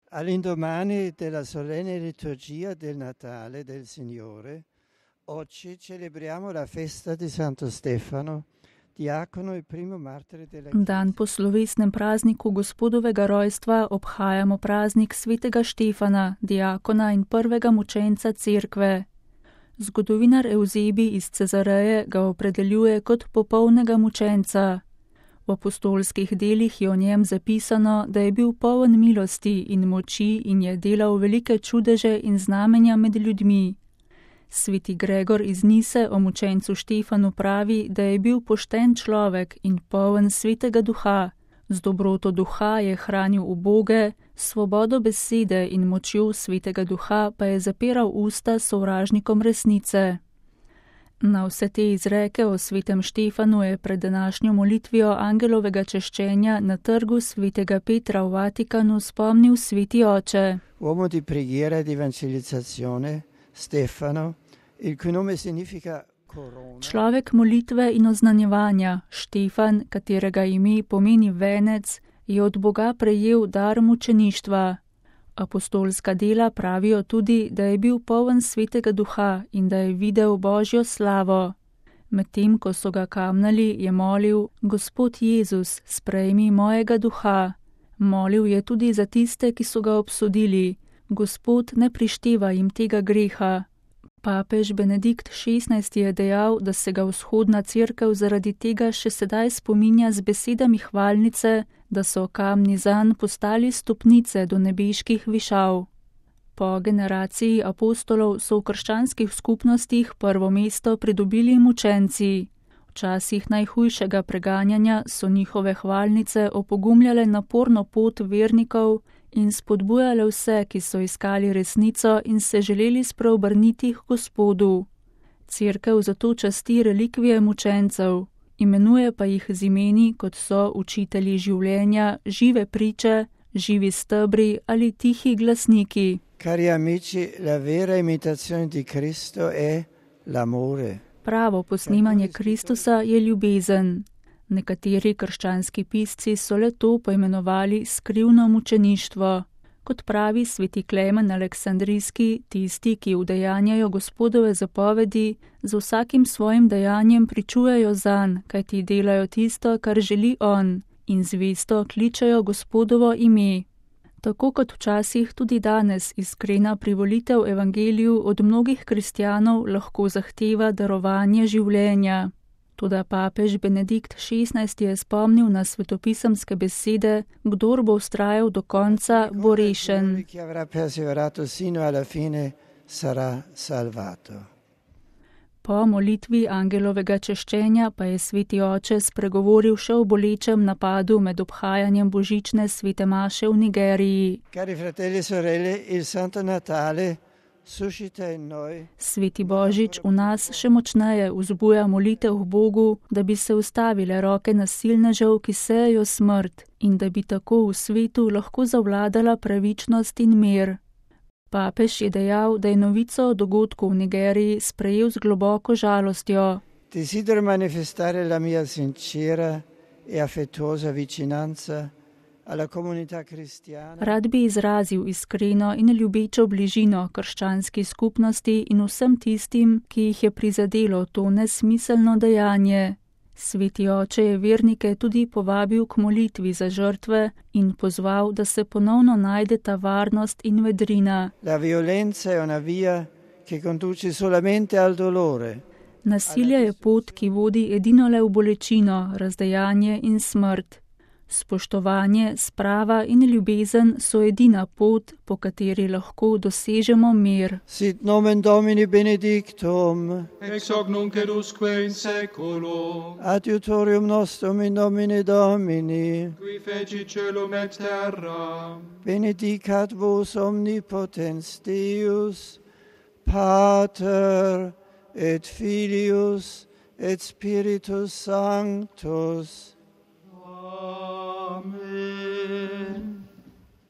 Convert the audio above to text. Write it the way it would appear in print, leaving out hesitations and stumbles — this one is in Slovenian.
All'indomani della solenne liturgia del Natale del Signore, oggi celebriamo la festa di Santo Stefano, diakono in primo martire della Chiesa. Dan po slovesnem prazniku Gospodovega rojstva obhajamo praznik svetega Štefana, diakona in prvega mučenca cerkve. Zgodovinar Evzebi iz Cezareje ga opredeljuje kot popolnega mučenca. V apostolskih delih je o njem zapisano, da je bil poln milosti in moči in je delal velike čudeže in znamenja med ljudmi. Sveti Gregor iz Nise o mučencu Štefanu pravi, da je bil pošten človek in poln svetega duha. Z dobroto duha je hranil uboge, svobodo besede in močjo svetega duha pa je zapiral usta sovražnikom resnice. Na vse te izreke o svetem Štefanu je pred današnjo molitvijo angelovega češčenja na trgu svetega Petra v Vatikanu spomnil sveti oče. Uomo di preghiera e di evangelizzazione, Stefano, il cui nome significa corona. Človek molitve in oznanjevanja, Štefan, katerega ime pomeni venec, je od Boga prejel dar mučeništva. Apostolska dela pravijo tudi, da je bil poln svetega duha in da je videl Božjo slavo. Medtem, ko so ga kamnali, je molil: Gospod Jezus, sprejmi mojega duha. Molil je tudi za tiste, ki so ga obsodili: Gospod, ne prišteva jim tega greha. Papež Benedikt XVI je dejal, da se ga vzhodna cerkev zaradi tega še sedaj spominja z besedami hvalnice, da so kamni zanj postali stopnice do nebeških višav. Po generaciji apostolov so v krščanskih skupnostih prvo mesto pridobili mučenci. V časih najhujšega preganjanja so njihove hvalnice opogumljale naporno pot vernikov in spodbujale vse, ki so iskali resnico in se želeli spreobrniti k Gospodu. Cerkev zato časti relikvije mučencev, imenuje pa jih z imeni, kot so učitelji življenja, žive priče, živi stebri ali tihi glasniki. Cari amici, la vera imitazione di Cristo è l'amore. Pravo posnemanje Kristusa je ljubezen. Nekateri krščanski pisci so le to poimenovali skrivno mučeništvo. Kot pravi sveti Klemen Aleksandrijski, tisti, ki udejanjajo Gospodove zapovedi, z vsakim svojim dejanjem pričujejo zanj, kajti delajo tisto, kar želi on, in zvesto kličejo Gospodovo ime. Tako kot včasih tudi danes iskrena privolitev evangeliju od mnogih kristjanov lahko zahteva darovanje življenja. Toda papež Benedikt XVI je spomnil na svetopisemske besede: kdor bo vztrajal do konca, bo rešen. Po molitvi angelovega češčenja pa je sveti oče spregovoril še o bolečem napadu med obhajanjem božične svete maše v Nigeriji. Cari fratelli e sorelle, il Santo Natale suscita in noi. Sveti Božič v nas še močneje vzbuja molitev k Bogu, da bi se ustavile roke nasilnežev, ki sejejo smrt, in da bi tako v svetu lahko zavladala pravičnost in mir. Papež je dejal, da je novico o dogodku v Nigeriji sprejel z globoko žalostjo. Desidero manifestare la mia sincera e affettuosa vicinanza alla comunità cristiana. Rad bi izrazil iskreno in ljubečo bližino krščanski skupnosti in vsem tistim, ki jih je prizadelo to nesmiselno dejanje. Sveti oče je vernike tudi povabil k molitvi za žrtve in pozval, da se ponovno najdeta varnost in vedrina. La violenza è una via che conduce solamente al dolore. Nasilje je pot, ki vodi edino le v bolečino, razdejanje in smrt. Spoštovanje, sprava in ljubezen so edina pot, po kateri lahko dosežemo mir. Sit nomen Domini benedictum, ex hoc nunc et usque in seculo, adiutorium nostrum in nomine Domini, qui feci celum et terra, benedicat vos omnipotens Deus, Pater et Filius et Spiritus Sanctus,